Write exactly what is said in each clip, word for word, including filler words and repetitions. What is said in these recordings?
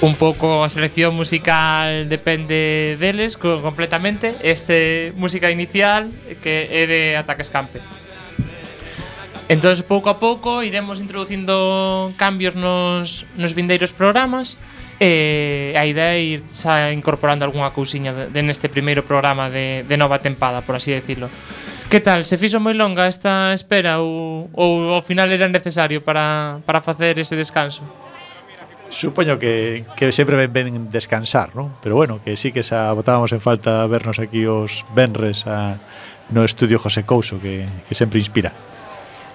un pouco a selección musical depende deles co- completamente. Este música inicial que é de Ataque Escampe. Entón, pouco a pouco iremos introducindo cambios nos, nos vindeiros programas. E a idea é ir xa incorporando algunha cousiña de, de neste primeiro programa de, de nova tempada, por así decirlo. Que tal? Se fixo moi longa esta espera ou, ou ao final era necesario para, para facer ese descanso? Supoño que, que sempre ben, ben descansar, non? Pero bueno, que sí que xa botábamos en falta vernos aquí os venres a, no estudio José Couso, que, que sempre inspira.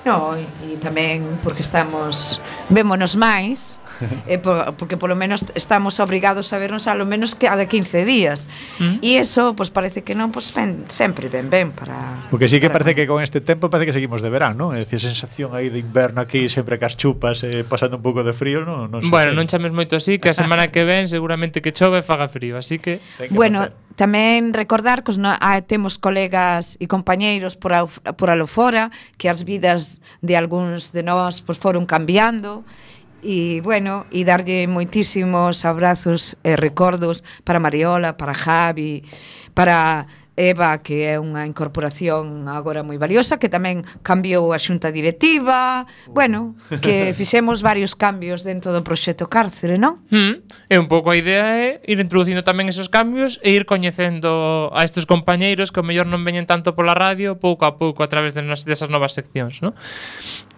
No, e tamén porque estamos vémonos máis, e por, porque polo menos estamos obrigados a vernos a lo menos que a de quince días. Mm. E iso, pois parece que non, pois ben, sempre ben ben para. O que sí que para parece que con este tempo parece que seguimos de verán, non? É dicir, a sensación aí de inverno aquí sempre cas chupas, eh, pasando un pouco de frío, non? non Bueno, non chames moito así, que a semana que ven seguramente que chove e faga frío, así que Bueno, tamén recordar que os no, ah, temos colegas e compañeiros por, a, por alo fora, que as vidas de algúns de nós pois, foron cambiando. E, bueno, e darlle moitísimos abrazos e recordos para Mariola, para Javi, para Eva, que é unha incorporación agora moi valiosa, que tamén cambiou a xunta directiva. Bueno, que fixemos varios cambios dentro do proxecto Cárcere, non? mm, e un pouco a idea é ir introducindo tamén esos cambios e ir coñecendo a estes compañeiros que ao mellor non veñen tanto pola radio, pouco a pouco a través de nas, desas novas seccións, non?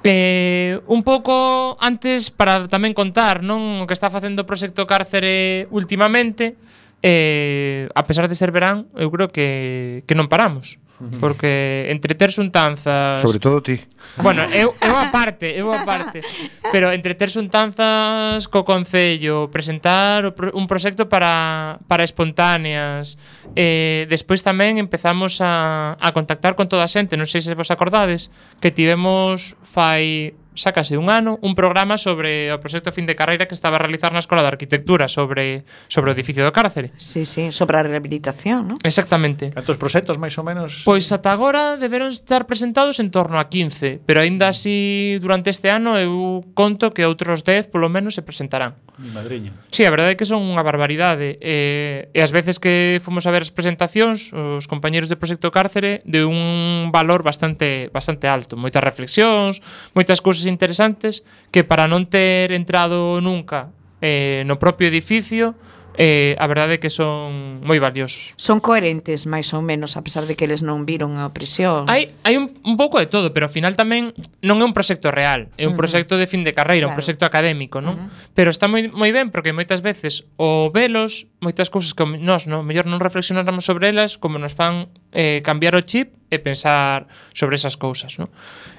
Eh, un pouco antes para tamén contar, non, o que está facendo o proxecto Cárcere últimamente. Eh, a pesar de ser verán, eu creo que, que non paramos. Porque entre ter xuntanzas, Sobre todo ti. bueno, eu, eu a parte, eu a parte. Pero entre ter xuntanzas co Concello, presentar o pro, un proxecto para, para espontáneas, eh, despois tamén empezamos a, a contactar con toda a xente. Non sei se vos acordades que tivemos fai xa case un ano un programa sobre o proxecto fin de carreira que estaba a realizar na Escola de Arquitectura sobre, sobre o edificio do Cárcere. Sí, sí, sobre a rehabilitación, non? Exactamente. Cantos proxectos máis ou menos? Pois ata agora deberon estar presentados en torno a quince, pero aínda así durante este ano eu conto que outros dez polo menos se presentarán. Mi madriña. Sí, a verdade é que son unha barbaridade. E, e as veces que fomos a ver as presentacións, os compañeros de Proxecto Cárcere de un valor bastante bastante alto. Moitas reflexións, moitas cousas interesantes que para non ter entrado nunca eh, no propio edificio, eh, a verdade é que son moi valiosos. Son coherentes, máis ou menos, a pesar de que eles non viron a prisión. Hai, hai un, un pouco de todo, pero ao final tamén non é un proxecto real, é un Uh-huh. proxecto de fin de carreira, Claro. un proxecto académico, non? Uh-huh. Pero está moi moi ben porque moitas veces o velos, moitas cousas que nós, non, mellor non reflexionáramos sobre elas, como nos fan eh, cambiar o chip e pensar sobre esas cousas, non?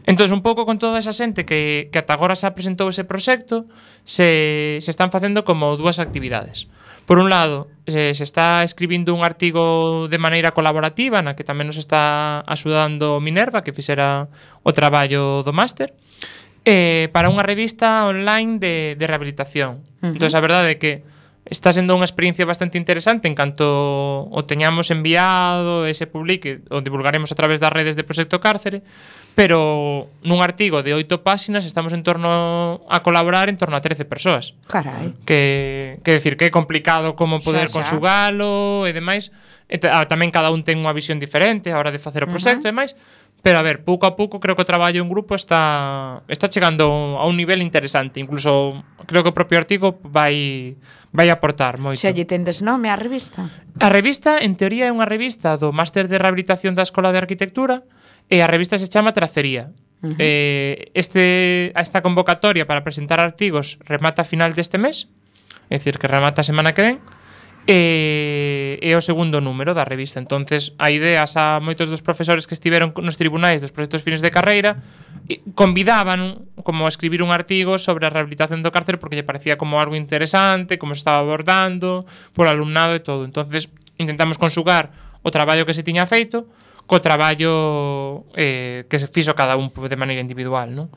Entón, un pouco con toda esa xente que, que ata agora xa presentou ese proxecto, se, se están facendo como dúas actividades. Por un lado, se, se está escribindo un artigo de maneira colaborativa na que tamén nos está axudando Minerva, que fixera o traballo do máster, eh, para unha revista online de, de rehabilitación. Uh-huh. Entón, a verdade é que está sendo unha experiencia bastante interesante en canto o teñamos enviado e se publique, o divulgaremos a través das redes de Proxecto Cárcere, pero nun artigo de oito páxinas estamos en torno a colaborar en torno a trece persoas. Carai. Que, que decir que é complicado como poder Xa, xa. conxugalo e demais. E ta- tamén cada un ten unha visión diferente a hora de facer o proxecto uh-huh. e demais. Pero a ver, pouco a pouco creo que o traballo en grupo está está chegando a un nivel interesante. Incluso creo que o propio artigo vai vai aportar moito. Xa lle tendes nome á revista? A revista, en teoría, é unha revista do Máster de Rehabilitación da Escola de Arquitectura e a revista se chama Tracería. Uh-huh. Eh, este, esta convocatoria para presentar artigos remata a final deste mes, é dicir, que remata a semana que ven, e é o segundo número da revista. Entonces, a idea a moitos dos profesores que estiveron nos tribunais dos proxectos fines de carreira convidaban como a escribir un artigo sobre a rehabilitación do cárcere porque lle parecía como algo interesante, como se estaba abordando por alumnado e todo. Entonces, intentamos conxugar o traballo que se tiña feito co traballo eh, que se fixo cada un de maneira individual, non?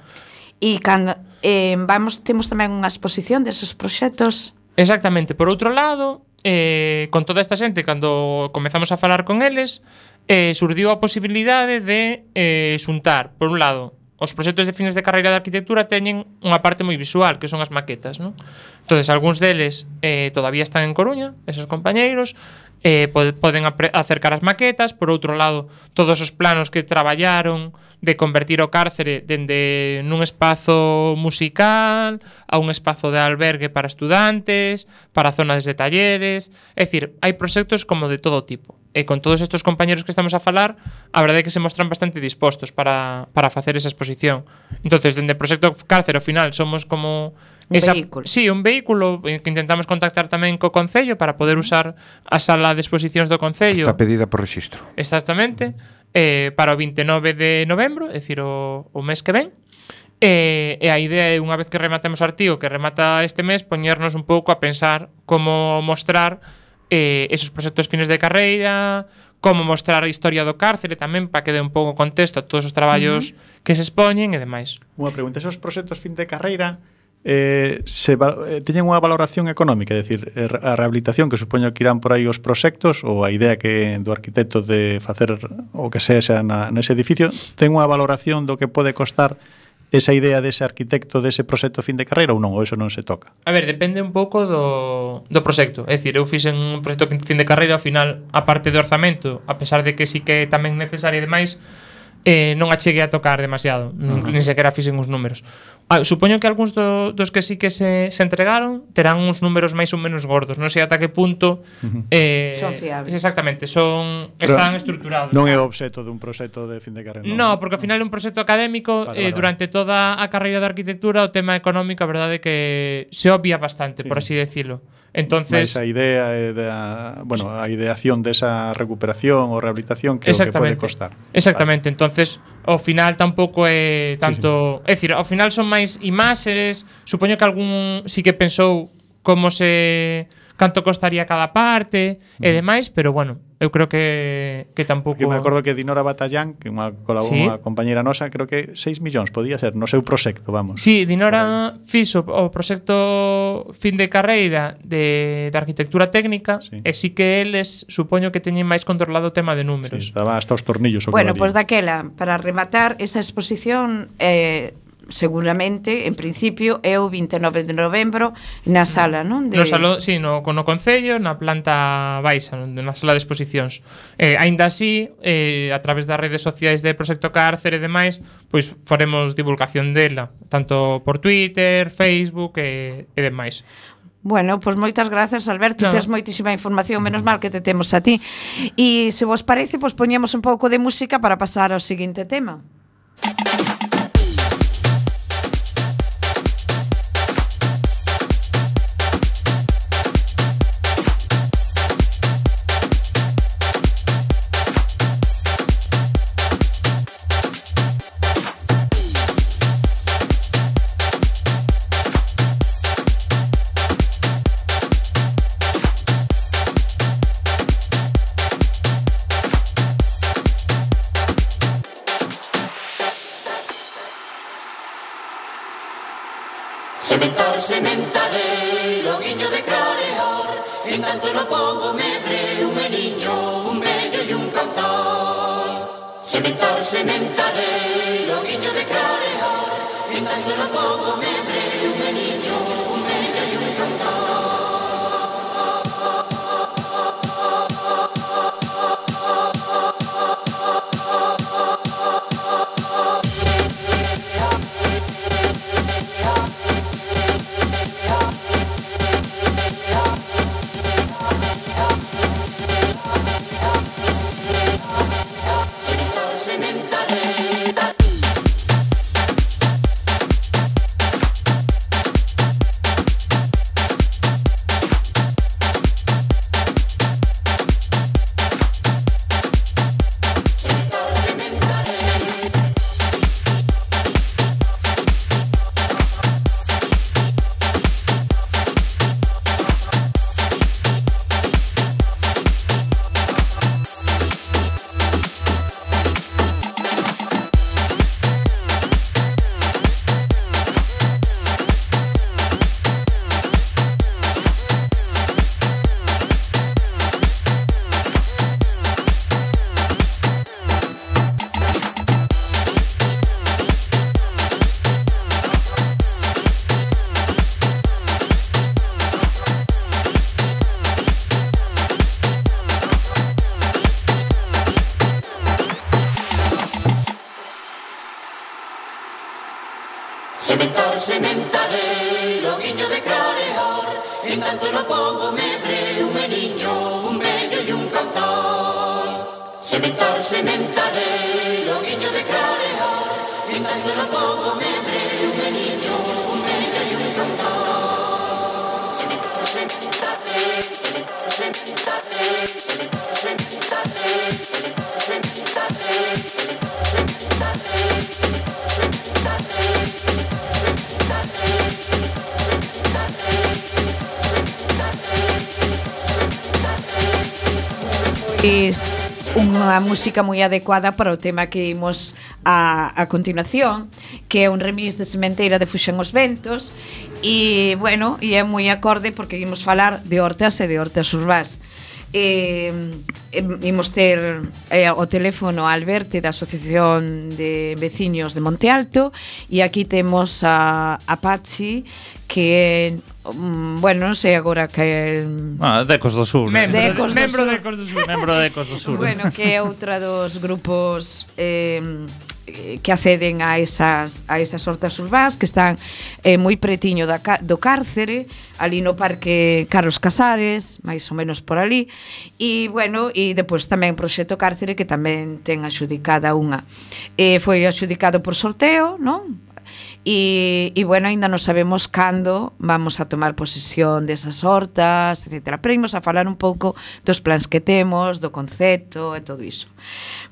E cando eh, vamos temos tamén unha exposición deses proxectos. Exactamente. Por outro lado, eh, con toda esta xente, cando comezamos a falar con eles, eh, surdiu a posibilidade de eh, xuntar, por un lado, os proxectos de fines de carreira de arquitectura teñen unha parte moi visual, que son as maquetas, non? Entonces, algúns deles eh, todavía están en Coruña, esos compañeiros, eh, pod poden acercar as maquetas. Por outro lado, todos os planos que traballaron de convertir o cárcere dende nun espazo musical a un espazo de albergue para estudantes, para zonas de talleres. É dicir, hai proxectos como de todo tipo. E con todos estes compañeros que estamos a falar, a verdade é que se mostran bastante dispostos para, para facer esa exposición. Entonces, dende o proxecto cárcere, ao final, somos como un esa, vehículo. Sí, un vehículo que intentamos contactar tamén co Concello para poder usar a sala de exposicións do Concello. Está pedida por rexistro. Exactamente. Eh, para o vinte e nove de novembro, é dicir, o, o mes que ven. E, e a idea é, unha vez que rematemos o artigo, que remata este mes, poñernos un pouco a pensar como mostrar eh, esos proxectos fines de carreira, como mostrar a historia do cárcere tamén, para que dé un pouco contexto a todos os traballos uh-huh. que se expoñen e demais. Unha pregunta, esos proxectos fin de carreira eh, se, eh, teñen unha valoración económica, é dicir, a rehabilitación que supoño que irán por aí os proxectos ou a idea que do arquitecto de facer o que sexa na, nese edificio, ten unha valoración do que pode costar esa idea dese arquitecto dese proxecto fin de carreira ou non, ou eso non se toca? A ver, depende un pouco do, do proxecto. É dicir, eu fixen un proxecto fin de carreira, ao final, a parte do orzamento, a pesar de que sí que é tamén necesario e demais, eh, non a cheguei a tocar demasiado, uh-huh. nin sequera fixen uns números. Ah, supoño que algúns do, dos que sí que se, se entregaron terán uns números máis ou menos gordos. Non sei ata que punto uh-huh. eh, son fiables. Exactamente, son están estructurados. Non é o obxecto dun proxecto de fin de carreira. Non, no, porque ao final é un proxecto académico. Vale, eh, vale, durante vale. toda a carreira de arquitectura o tema económico, a verdade é que se obvia bastante, sí. por así decirlo. Entonces, mais a idea é da, bueno, a ideación desa recuperación ou rehabilitación que é o que pode costar. Exactamente, vale. Entonces ao final tampouco é tanto, sí, sí. É dicir, ao final son máis imaxes, supoño que algún sí que pensou como se canto costaría cada parte mm. e demais, pero bueno, eu creo que que tampouco. Que me acordo que Dinora Batallán, que unha colaboradora, ¿sí? compañera nosa, creo que seis millóns podía ser no seu proxecto, vamos. Sí, Dinora fixo o proxecto fin de carreira de, de arquitectura técnica, sí. e sí que eles supoño que teñen máis controlado o tema de números. Sí, estaba hasta os tornillos. Bueno, pois pues daquela, para rematar esa exposición, eh, seguramente, en principio, é o vinte e nove de novembro na sala, non? De... No salón, sí, no, no Concello, na planta baixa, na sala de exposicións. Eh, aínda así, eh, a través das redes sociais de Proxecto Cárcere e demais, pois faremos divulgación dela, tanto por Twitter, Facebook e, e demais. Bueno, pois pues moitas grazas, Alberto, no. Tes moitísima información, menos mal que te temos a ti. E se vos parece, pois pues, poñemos un pouco de música para pasar ao seguinte tema. Sementar, sementaré, loguiño de clarear, en tanto no pobo medre, un meniño, un bello e un cantar. Sementar, sementaré, loguiño de clarear, en tanto no pobo medre, un meniño, un bello e un cantar. Sementar, sementaré. Sementar, sementarei, loguiño de clarear, en tanto no pobo medre, un meniño, un vello e un cantar. Sementar, sementarei, loguiño de clarear, en tanto no pobo medre, un meniño, un vello e un cantar. Sementar, sementarei, sementar, sementarei, sementar, sementarei, sementar, sementarei, sementar, sementarei, sementar, sementarei. Pois unha música moi adecuada para o tema que imos a, a continuación, que é un remix de Sementeira de Fuxen os Ventos, e, bueno, e é moi acorde porque imos falar de hortas e de hortas urbás. E, e, imos ter eh, o teléfono a Alberto da Asociación de Veciños de Monte Alto, e aquí temos a, a Pachi, que um, bueno, non sei agora que ah, de Ecos do Sur, Membro de de, Ecos do membro Sur. de Ecos do Sur. membro de Ecos do Sur. Bueno, que é outra dos grupos eh, que acceden a esas a esas hortas urbás que están eh, moi pretiño da, do cárcere, ali no Parque Carlos Casares, máis ou menos por ali. E bueno, e depois tamén Proxecto Cárcere, que tamén ten axudicada unha. Eh, foi axudicado por sorteo, non? E, e bueno, ainda non sabemos cando vamos a tomar posesión desas hortas, etcétera. Pero imos a falar un pouco dos plans que temos, do concepto e todo iso.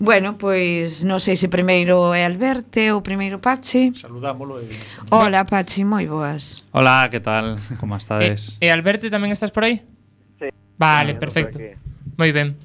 Bueno, pois non sei se primeiro é Alberto ou primeiro Pachi. Saludámolo e... Hola, Pachi, moi boas. Hola, que tal? Como E, estades? e Alberto, tamén estás por aí? Sí. Vale, Sí, perfecto. por aquí. Moi ben.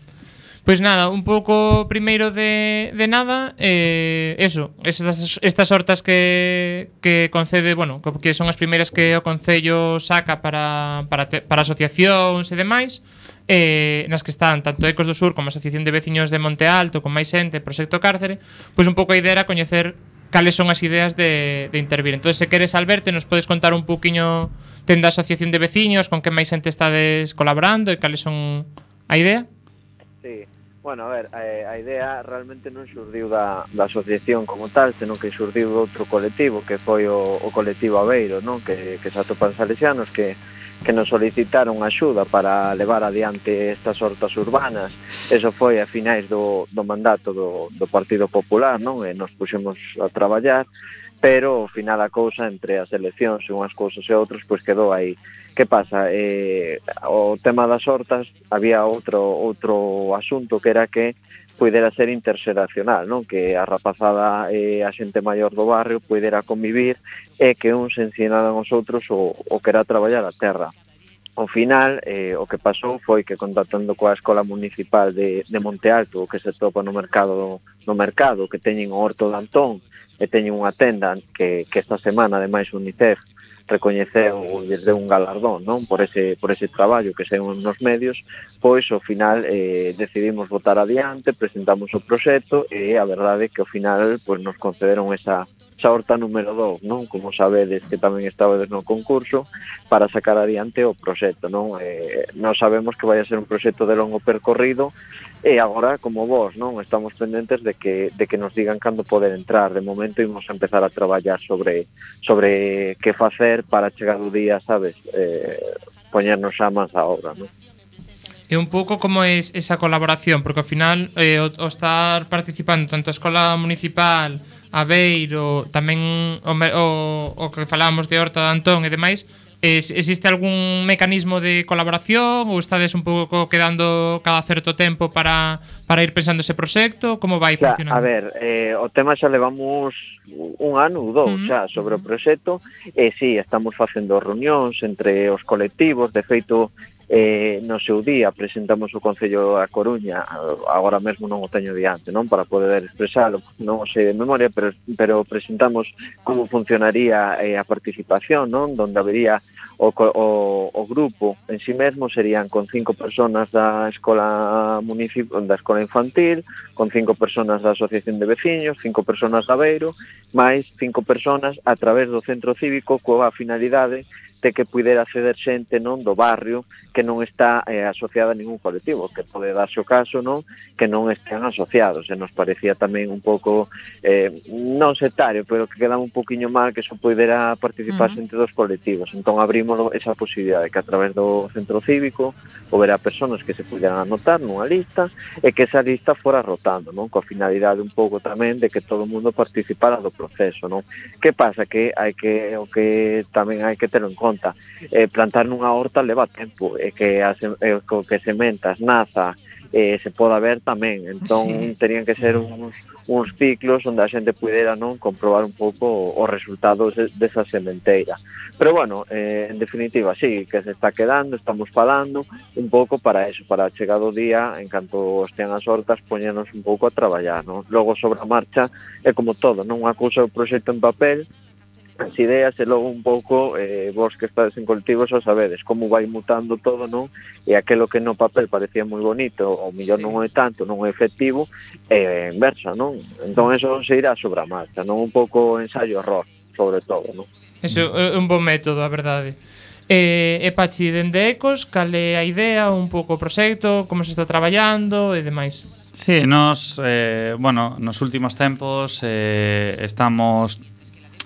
Pois nada, un pouco primeiro de, de nada, eh, eso, estas, estas hortas que, que concede, bueno, que son as primeiras que o Concello saca para, para, te, para asociacións e demais, eh, nas que están tanto Ecos do Sur como a Asociación de Veciños de Monte Alto, con máis xente, Proxecto Cárcere, pois un pouco a idea era coñecer cales son as ideas de, de intervir. Entón, se queres, Alberto, nos podes contar un pouquiño tenda Asociación de Veciños, con que máis xente estades colaborando e cales son a idea? Sí. Bueno, a ver, a, a idea realmente non xurdiu da, da asociación como tal, senón que xurdiu de outro colectivo, que foi o, o colectivo Aveiro, non? Que, que se atopan salesianos, que, que nos solicitaron axuda para levar adiante estas hortas urbanas. Eso foi a finais do, do mandato do, do Partido Popular, non? E nos puxemos a traballar, pero ao final a cousa entre as eleccións e unhas cousas e outras, pois quedou aí. Que pasa? Eh, o tema das hortas había outro outro asunto que era que puidera ser interxeracional, non? Que a rapazada e a xente maior do barrio puidera convivir e que uns ensinaran aos outros o, o que era traballar a terra. Ao final, eh, o que pasou foi que contactando coa Escola Municipal de, de Monte Alto, que se topa no mercado, no mercado que teñen o Horto de Antón e teñen unha tenda que, que esta semana, ademais, UNICEF recoñeceu desde un galardón, non? Por ese por ese traballo que según nos medios, pois ao final eh, decidimos votar adiante, presentamos o proxecto e a verdade é que ao final pois nos concederon esa esa horta número dous, non? Como sabedes que tamén estabades no concurso para sacar adiante o proxecto, non? Eh, non sabemos que vai a ser un proxecto de longo percorrido. E agora, como vos, non, estamos pendentes de que de que nos digan cando poder entrar. De momento imos a empezar a traballar sobre sobre que facer para chegar o día, sabes, eh, poñernos xa máis a obra, non? E un pouco como é esa colaboración, porque ao final eh, o, o estar participando tanto a Escola Municipal, Aveiro, tamén o, o, o que falábamos de Horta de Antón e demais, Es, existe algún mecanismo de colaboración ou estades un pouco quedando cada certo tempo para, para ir pensando ese proxecto? Como vai xa, funcionando? A ver, eh, o tema xa levamos un ano ou dous uh -huh. xa sobre o proxecto e sí, estamos facendo reunións entre os colectivos. De feito, eh, no seu día presentamos o Concello a Coruña, agora mesmo non o teño diante, non, para poder expresalo, non o sei de memoria, pero, pero presentamos como funcionaría eh, a participación, non, donde habería O, o, o grupo en sí mesmo serían con cinco personas da escola municipal, da escola infantil, con cinco personas da asociación de veciños, cinco personas da Aveiro, máis cinco personas a través do centro cívico coa finalidade permite que puidera acceder xente, non, do barrio que non está eh, asociada a ningún colectivo, que pode darse o caso, non, que non estén asociados, e nos parecía tamén un pouco eh, non sectario, pero que quedaba un poquinho mal que eso puidera participar Ujú. xente dos colectivos. Entón abrimos esa posibilidade que a través do centro cívico houbera persoas que se puderan anotar nunha lista e que esa lista fora rotando, non, coa finalidade un pouco tamén de que todo o mundo participara do proceso, non. Que pasa? Que hai que o que tamén hai que terlo en conta, eh, plantar nunha horta leva tempo, e que as, eh, co que sementas naza eh, se poda ver tamén, entón Sí. terían que ser uns, uns ciclos onde a xente pudera, non, comprobar un pouco os resultados de, desa sementeira. Pero bueno, eh, en definitiva, sí, que se está quedando, estamos falando un pouco para eso, para chegar o día, en canto estean as hortas, poñernos un pouco a traballar, non? Logo sobre a marcha é como todo, non, unha cousa é o proxecto en papel, as ideas, e logo un pouco eh, vos que estades en colectivo xa sabedes como vai mutando todo, non? E aquelo que no papel parecía moi bonito, ou mellor Sí. non é tanto, non é efectivo, é inversa, non? Entón eso se irá sobre a marcha, non? Un pouco ensayo-error, sobre todo, non? Eso é un bon método, a verdade. E, e Pachi, dende Ecos, cal é a idea, un pouco o proxecto, como se está traballando e demais? Sí, nos, eh, bueno, nos últimos tempos eh, estamos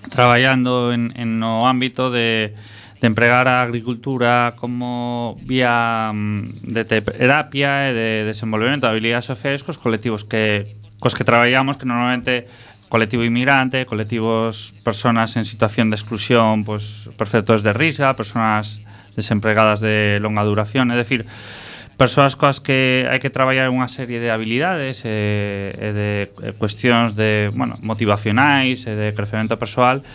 traballando en, en no ámbito de, de empregar a agricultura como vía mm, de terapia e de desenvolvemento de habilidades sociais cos colectivos que cos que traballamos, que normalmente colectivo inmigrante, colectivos personas en situación de exclusión, pues perceptores de risca, personas desempregadas de longa duración, é dicir, persoas coas que hai que traballar unha serie de habilidades e, e de e cuestións de, bueno, motivacionais e de crecemento persoal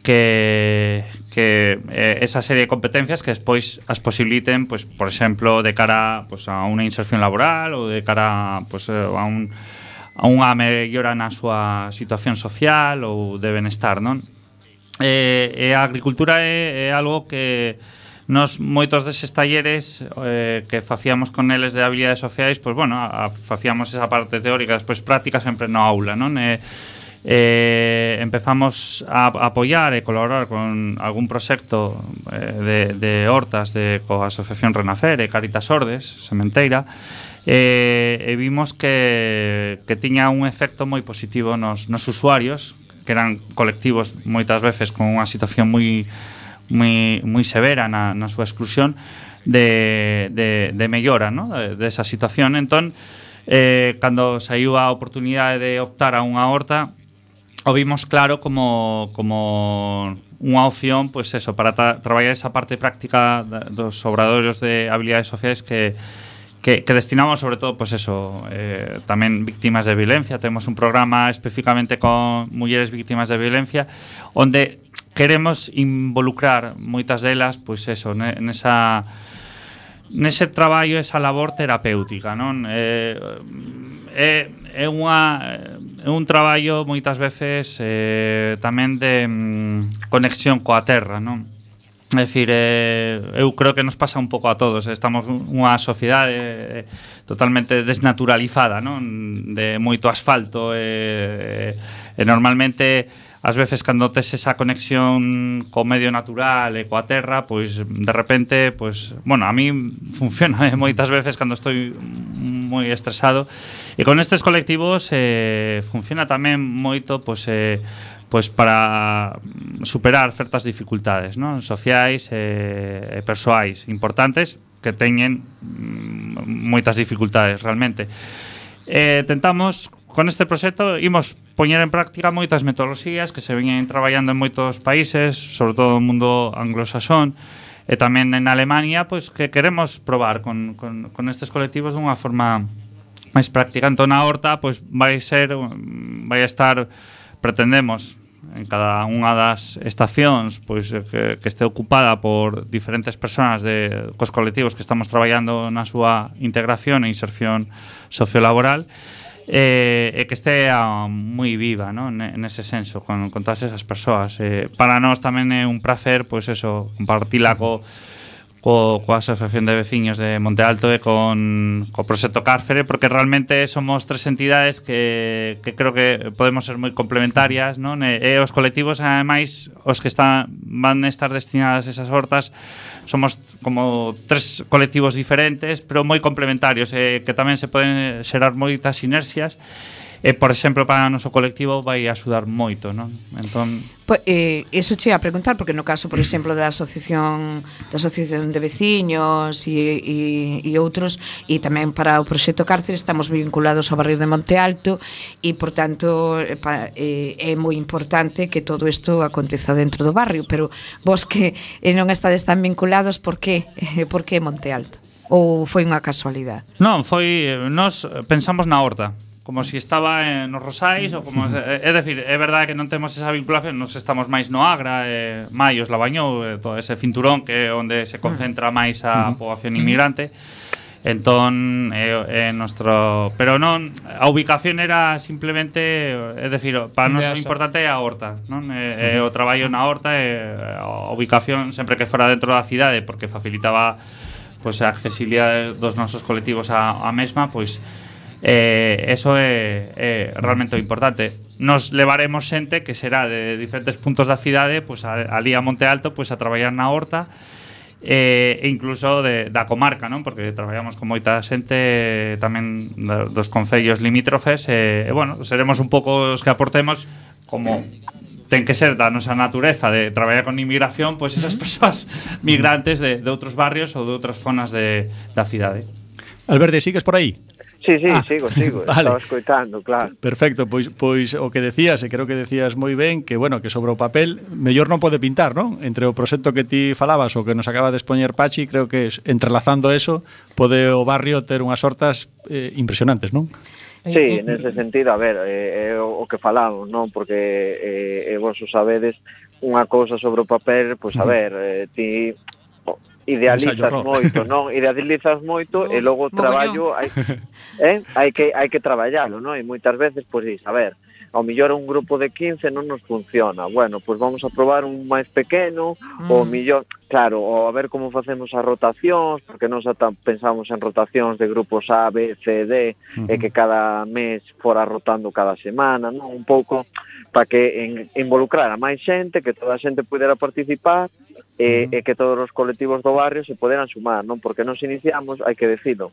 que, que eh, esa serie de competencias que despois as posibiliten, pues, por exemplo, de cara pues, a unha inserción laboral ou de cara pues, a un a unha mellora na súa situación social ou de benestar, non? E, e a agricultura é, é algo que nos moitos deses talleres eh, que facíamos con eles de habilidades sociais, pois bueno, a, a, facíamos esa parte teórica, despois práctica sempre no aula, non? E, eh, empezamos a, a apoiar e colaborar con algún proxecto eh, de, de hortas de coa Asociación Renacer e Caritas Ordes, Sementeira, e, e vimos que, que tiña un efecto moi positivo nos, nos usuarios, que eran colectivos moitas veces con unha situación moi moi, moi severa na, na súa exclusión de, de, de mellora, ¿no? de, de esa situación. Entón, eh, cando saiu a oportunidade de optar a unha horta, o vimos claro como, como unha opción, pues eso, para tra traballar esa parte práctica dos obradoiros de habilidades sociais que Que, que destinamos sobre todo, pues eso, eh, tamén víctimas de violencia. Temos un programa especificamente con mulleres víctimas de violencia onde queremos involucrar moitas delas, pois pues eso, nesa nese traballo, esa labor terapéutica, non? Eh, é, é unha é un traballo moitas veces eh, tamén de mm, conexión coa terra, non? É dicir, eh, eu creo que nos pasa un pouco a todos. Estamos nunha sociedade eh, totalmente desnaturalizada, non? De moito asfalto e, e normalmente ás veces cando tes esa conexión co medio natural e coa terra, pois de repente, pois, bueno, a mí funciona eh, moitas veces cando estou moi estresado, e con estes colectivos eh, funciona tamén moito, pois eh, pois para superar certas dificultades, non? Sociais e, e persoais importantes que teñen mm, moitas dificultades realmente. Eh, tentamos con este proxecto imos poñer en práctica moitas metodoloxías que se veñen traballando en moitos países, sobre todo no mundo anglosaxón, e tamén en Alemania, pois que queremos probar con, con, con estes colectivos dunha forma máis práctica. Entón a horta pois vai ser vai estar pretendemos en cada unha das estacións pois que, que este ocupada por diferentes persoas de cos colectivos que estamos traballando na súa integración e inserción sociolaboral, e, e que este moi viva, ¿no? Nese senso con, con todas esas persoas. Eh, para nós tamén é un placer pois eso, compartila co co, coa Asociación de Veciños de Monte Alto e con co Proxecto Cárcere, porque realmente somos tres entidades que, que creo que podemos ser moi complementarias, non? E, e os colectivos, ademais, os que están, van a estar destinadas a esas hortas, somos como tres colectivos diferentes, pero moi complementarios, e que tamén se poden xerar moitas sinerxias. E, por exemplo, para o noso colectivo vai axudar moito, non? Entón, Pois, eh, eso che ia a preguntar, porque no caso, por exemplo, da asociación da asociación de veciños e, e, e outros, e tamén para o proxecto Cárcere estamos vinculados ao barrio de Monte Alto e, por tanto, eh, pa, eh, é moi importante que todo isto aconteza dentro do barrio, pero vos que eh, non estades tan vinculados, por que? Eh, por que Monte Alto? Ou foi unha casualidade? non, foi, nós pensamos na horta, como si estaba en nos Rosais ou como, é, é decir, é verdade que non temos esa vinculación, nos estamos máis no Agra, eh, Maios, Labañou, eh, todo ese cinturón que é onde se concentra máis a poboación inmigrante. Entón, é, é nostro, pero non, a ubicación era simplemente, é decir, para nós o importante é a horta, non? É, é o traballo na horta e a ubicación sempre que fora dentro da cidade, porque facilitaba pois a accesibilidade dos nosos colectivos á, á mesma, pois Eh, eso é, é realmente o importante. Nos levaremos xente que será de diferentes puntos da cidade, pois a, ali a Monte Alto, pois a traballar na horta, eh, e incluso de, da comarca, non? Porque traballamos con moita xente tamén da, dos concellos limítrofes, e, e bueno, seremos un pouco os que aportemos, como ten que ser da nosa natureza de traballar con inmigración, pois esas persoas migrantes de, de outros barrios ou de outras zonas de, da cidade. Alberte, sigues por aí? Sí, sí, Ah, sigo, sigo, vale. estaba escoitando, claro. Perfecto, pois pois o que decías, e creo que decías moi ben, que bueno, que sobre o papel mellor non pode pintar, non? Entre o proxecto que ti falabas o que nos acaba de expoñer Pachi, creo que entrelazando eso, pode o barrio ter unhas hortas eh, impresionantes, non? Sí, nese sentido, a ver, é, é o que falamos, non? Porque eh, eh, vos o sabedes, unha cousa sobre o papel, pois a ver, eh, ti idealizas moito, non? Idealizas moito e logo o traballo hai, eh? hai que hai que traballalo, non? E moitas veces, pois, a ver, ao millor un grupo de quince non nos funciona. Bueno, pois vamos a probar un máis pequeno, mm. ou millor, claro, ou a ver como facemos as rotacións, porque nós ata pensamos en rotacións de grupos A, B, C, D, mm-hmm. e que cada mes fora rotando cada semana, non? Un pouco para que en, involucrar a máis xente, que toda a xente pudera participar, e, e que todos os colectivos do barrio se poderan sumar, non? Porque nos iniciamos, hai que decirlo,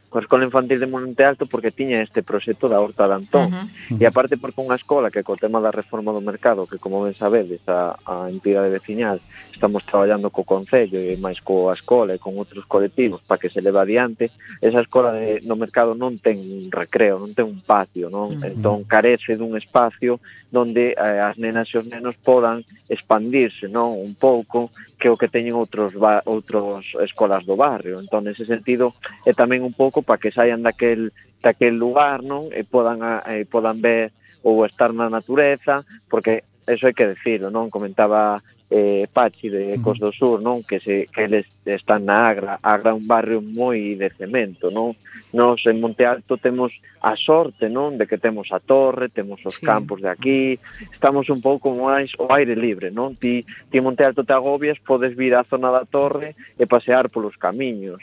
coa Escola Infantil de Monte Alto porque tiña este proxecto da Horta de Antón. Uh-huh. E aparte porque unha escola que co tema da reforma do mercado, que como ben sabedes, a, a entidade veciñal, estamos traballando co Concello e máis coa escola e con outros colectivos para que se leve adiante, esa escola de, no mercado non ten un recreo, non ten un patio, non? Uh-huh. Entón carece dun espacio donde eh, as nenas e os nenos podan expandirse, non? Un pouco que o que teñen outros ba- outros escolas do barrio. Entón, nese sentido, é tamén un pouco para que saian daquel daquel lugar, non? E podan a, e podan ver ou estar na natureza, porque eso hai que decirlo, non? Comentaba eh, Pachi de Ecos do Sur, non? Que se que eles están na Agra, Agra é un barrio moi de cemento, non? Nós en Monte Alto temos a sorte, non? De que temos a torre, temos os sí. campos de aquí, estamos un pouco máis ao aire libre, non? Ti, ti en Monte Alto te agobias, podes vir á zona da torre e pasear polos camiños.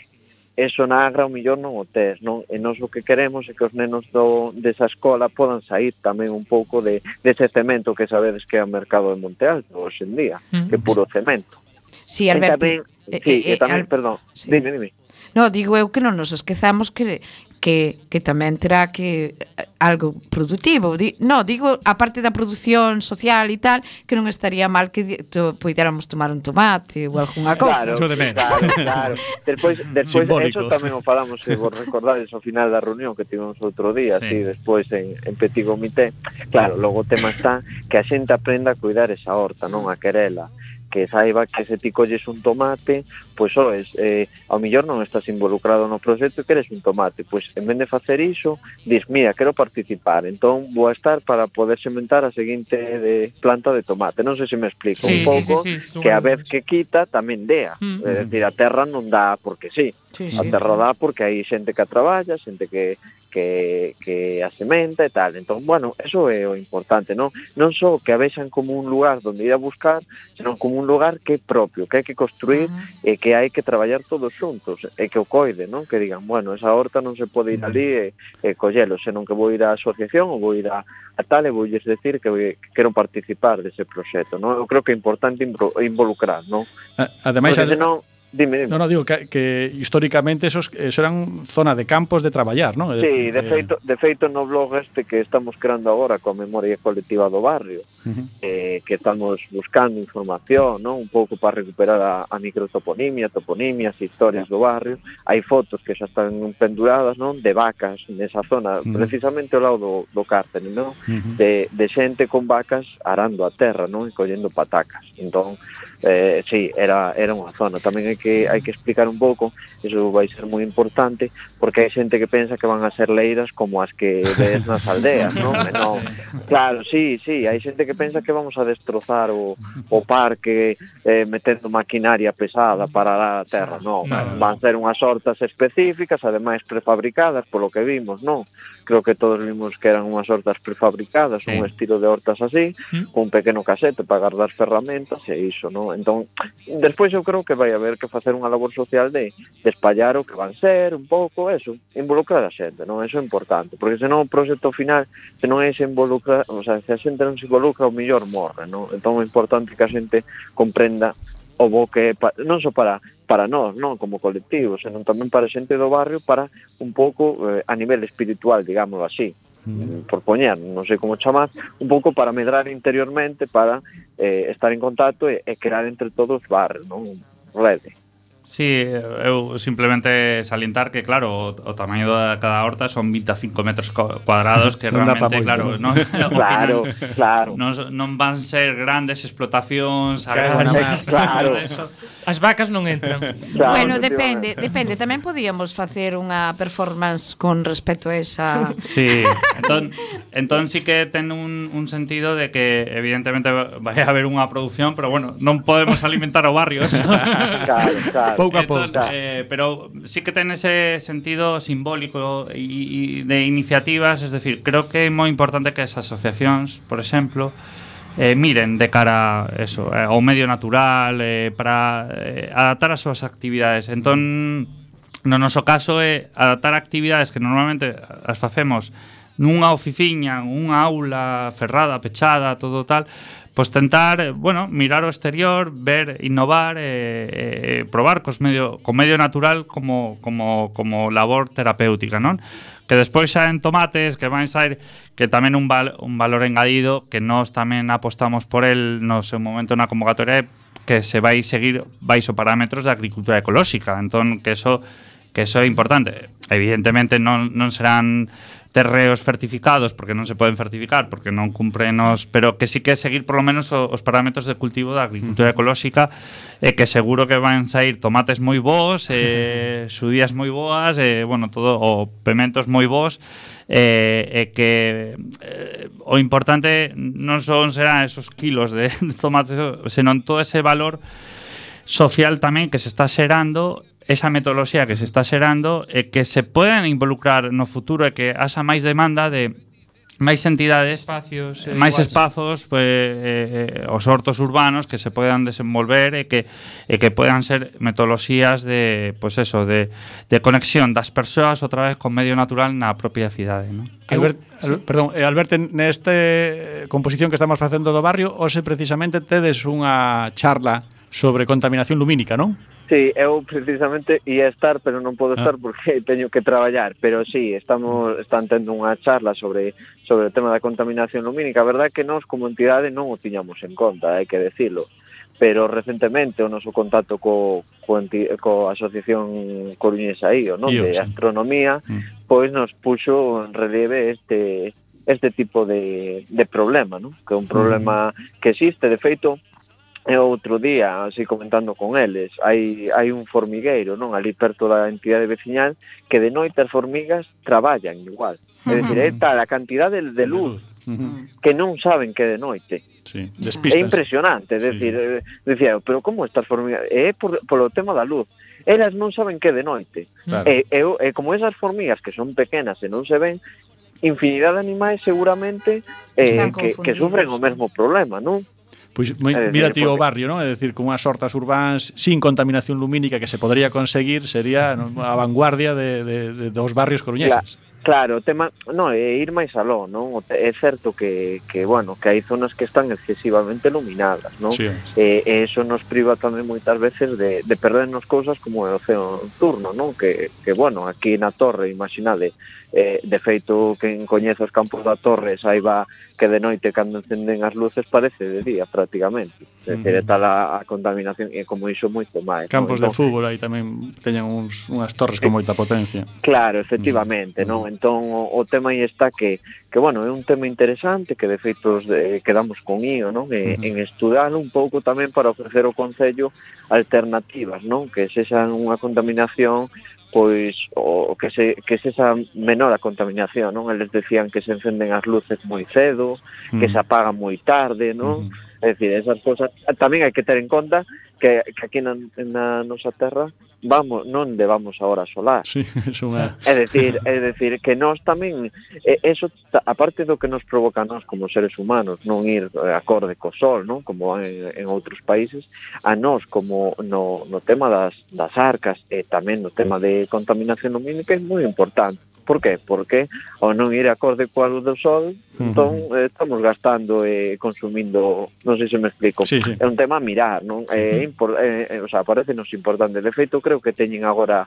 Eso na Agra o millón non o tes, non? E nós o que queremos é que os nenos do, desa escola podan sair tamén un pouco de dese cemento que sabedes que é o mercado de Monte Alto hoxe en día, mm. que é puro cemento. Sí, Alberto. Tamén, eh, sí, eh, e tamén, al... perdón, sí. dime, dime. No, digo eu que non nos esquezamos que que, que tamén terá que algo productivo. Di, no, digo, a parte da produción social e tal, que non estaría mal que to, poidéramos tomar un tomate ou algunha cousa. Claro, claro, claro. Despois, despois eso tamén o falamos, se vos recordades, ao final da reunión que tivemos outro día, sí. Así, despois en, en Petit Comité. Claro, logo o tema está que a xente aprenda a cuidar esa horta, non a querela, que saiba que se ti colles un tomate, pois oes, eh, ao millor non estás involucrado no proxecto e queres un tomate, pois en vez de facer iso, dis, mira, quero participar, entón vou a estar para poder sementar a seguinte de planta de tomate. Non sei se me explico sí, un pouco, sí, sí, sí, que a vez que quita tamén dea, mm. é dicir, a terra non dá porque sí, sí, sí. A terra dá porque hai xente que a traballa, xente que que, que a sementa e tal. Entón, bueno, eso é o importante, non? Non só que a vexan como un lugar onde ir a buscar, senón como un lugar que é propio, que hai que construir uh-huh. e que hai que traballar todos xuntos e que o coide, non? Que digan, bueno, esa horta non se pode ir ali e, e collelo, senón que vou ir á asociación ou vou ir a, a tal e vou lles decir que, que quero participar dese proxecto, non? Eu creo que é importante involucrar, non? Ademais, porque senón Dime, dime. No, no, digo que, que históricamente esos, eso eran zona de campos de traballar, ¿no? Sí, de feito, de feito no blog este que estamos creando agora coa memoria colectiva do barrio, uh-huh. eh, que estamos buscando información, ¿no? Un pouco para recuperar a, a microtoponimia, toponimias, historias do barrio. Hai fotos que xa están penduradas, ¿no? De vacas nesa zona, uh-huh. precisamente ao lado do, do cárcere, ¿no? Uh-huh. De, de xente con vacas arando a terra, ¿no? E collendo patacas. Entón, Eh, sí, era era unha zona. Tamén hai que hai que explicar un pouco, iso vai ser moi importante, porque hai xente que pensa que van a ser leiras como as que ves nas aldeas, non? No, claro, sí, sí, hai xente que pensa que vamos a destrozar o, o parque eh, metendo maquinaria pesada para dar a terra, non, no. Van ser unhas hortas específicas, ademais prefabricadas, polo que vimos, non? Creo que todos vimos que eran unhas hortas prefabricadas, sí. Un estilo de hortas así, ¿Mm? Con un pequeno casete para guardar ferramentas e iso, non? Entón, despois eu creo que vai haber que facer unha labor social de, de espallar o que van ser, un pouco, eso, involucrar a xente, non? Eso é importante, porque senón o proxecto final, se non é se involucra, o sea, se a xente non se involucra, o mellor morre, non? Entón é importante que a xente comprenda o bo que é, non só para para nós, non como colectivo, senón tamén para a xente do barrio, para un pouco eh, a nivel espiritual, digámoslo así, mm. por poñer, non sei como chamar, un pouco para medrar interiormente, para eh, estar en contacto e, e crear entre todos barrios, non? Rede. Sí, eu simplemente salientar que, claro, o, o tamaño de cada horta son vinte e cinco metros cuadrados, que non realmente, moito, claro, ¿no? non, claro, final, claro. Non, non van ser grandes explotacións, claro, agrarias, claro. Eso. As vacas non entran. Claro, bueno, depende, depende. Tamén podíamos facer unha performance con respecto a esa... Sí, entón, entón sí que ten un, un sentido de que evidentemente vai haber unha produción, pero bueno, non podemos alimentar o barrio. Claro, claro. Pouco a pouco. Entón, eh, pero sí que ten ese sentido simbólico e de iniciativas, es decir, creo que é moi importante que as asociacións, por exemplo, Eh, miren de cara eso, eh, ao medio natural, eh, para eh, adaptar as súas actividades. Entón, no noso caso é adaptar actividades que normalmente as facemos nunha oficiña, unha aula ferrada, pechada, todo tal, pois tentar, bueno, mirar o exterior, ver, innovar, e eh, eh, probar cos medio, co medio natural como, como, como labor terapéutica, non? Que despois saen tomates, que van sair, que tamén un, val, un valor engadido, que nós tamén apostamos por el no seu momento na convocatoria, que se vai seguir baixo parámetros da agricultura ecolóxica. Entón, que eso, que eso é importante. Evidentemente non, non serán terreos certificados, porque non se poden certificar, porque non cumpren os, pero que sí que seguir por lo menos os parámetros de cultivo da agricultura ecolóxica, e que seguro que van sair tomates moi bons, eh, xudías moi boas, eh, bueno, todo, o pementos moi bons, e eh, eh, que eh, o importante non son serán esos kilos de, de tomates, senón todo ese valor social tamén que se está xerando, esa metodoloxía que se está xerando, e que se poden involucrar no futuro, e que haxa máis demanda de máis entidades, espacios, eh, máis iguais. espazos, pues, eh, os hortos urbanos que se podan desenvolver, e que e que podan ser metodoloxías de, pues eso, de, de conexión das persoas outra vez con medio natural na propia cidade, ¿no? Albert, Al, perdón, eh, Alberto, neste composición que estamos facendo do barrio, hoxe precisamente tedes unha charla sobre contaminación lumínica, non? Sí, eu precisamente ia estar, pero non podo estar porque teño que traballar, pero sí, estamos están tendo unha charla sobre sobre o tema da contaminación lumínica. A verdade é que nós como entidade non o tiñamos en conta, hai que decirlo, pero recentemente o noso contacto co co, co Asociación Coruñesa I O, non, de astronomía, mm. pois nos puxo en relieve este este tipo de de problema, non? Que é un problema mm. que existe, de feito. E outro día, así comentando con eles, hai hai un formigueiro, non, ali perto da entidade veciñal, que de noite as formigas traballan igual. É dicir, é tal a cantidade de luz que non saben que é de noite. Sí, é impresionante, é dicir, sí. Decía, pero como estas formigas? É por, polo tema da luz. Elas non saben que é de noite. Claro. E, e, e como esas formigas que son pequenas e non se ven, infinidade de animais seguramente eh, que, que sufren o mesmo problema, non? Pois moi, É dicir, mira ti o porque- barrio, non? É dicir, con unhas hortas urbáns sin contaminación lumínica que se podría conseguir, sería non, a vanguardia de, de, de dos barrios coruñeses. Cla- Claro, o tema, no, é ir máis aló, non? O te- É certo que, que, bueno, que hai zonas que están excesivamente iluminadas, non? Sí, E, e eso nos priva tamén moitas veces de, de perdernos cousas como o océano nocturno, non? Que, que, bueno, aquí na Torre, imaginade, eh, de feito, quen coñece os campos da Torre, saiba que de noite, cando encenden as luces, parece de día, prácticamente. É dicir, é tal a, a contaminación, e como iso moito máis. Campos non? de fútbol aí tamén teñen uns, unhas torres con moita potencia. Claro, efectivamente, non? Entón o, o tema aí está que que bueno, é un tema interesante que de feito de, quedamos con ío, non? E, Uh-huh. en estudalo un pouco tamén para ofrecer ao Concello alternativas, non? Que sexan unha contaminación pois o que se que sexa menor a contaminación, non? Eles decían que se encenden as luces moi cedo, que se apagan moi tarde, non? Uh-huh. É dicir, esas cosas tamén hai que ter en conta que, que aquí na, na nosa terra vamos, non levamos a hora solar. Sí, é unha... É dicir, é dicir que nós tamén eh, eso aparte do que nos provoca a nós como seres humanos non ir acorde co sol, non? Como en, en outros países, a nós como no, no tema das, das arcas e tamén no tema de contaminación lumínica é moi importante. Por qué? Porque ao non ir acorde coa luz do sol, Uh-huh. entón eh, estamos gastando e eh, consumindo, non sei se me explico. Sí, sí. É un tema a mirar, non? É Uh-huh. impor, eh, eh, o sea, parecenos importante. De feito, creo que teñen agora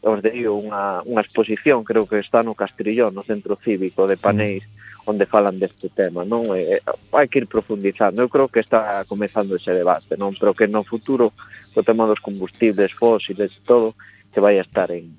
os digo unha, unha exposición, creo que está no Castrillón, no Centro Cívico de Paneis, uh-huh. onde falan deste tema, non? Eh, hai que ir profundizando. Eu creo que está comezando ese debate, non? Pero que no futuro o tema dos combustibles fósiles e todo que vai a estar en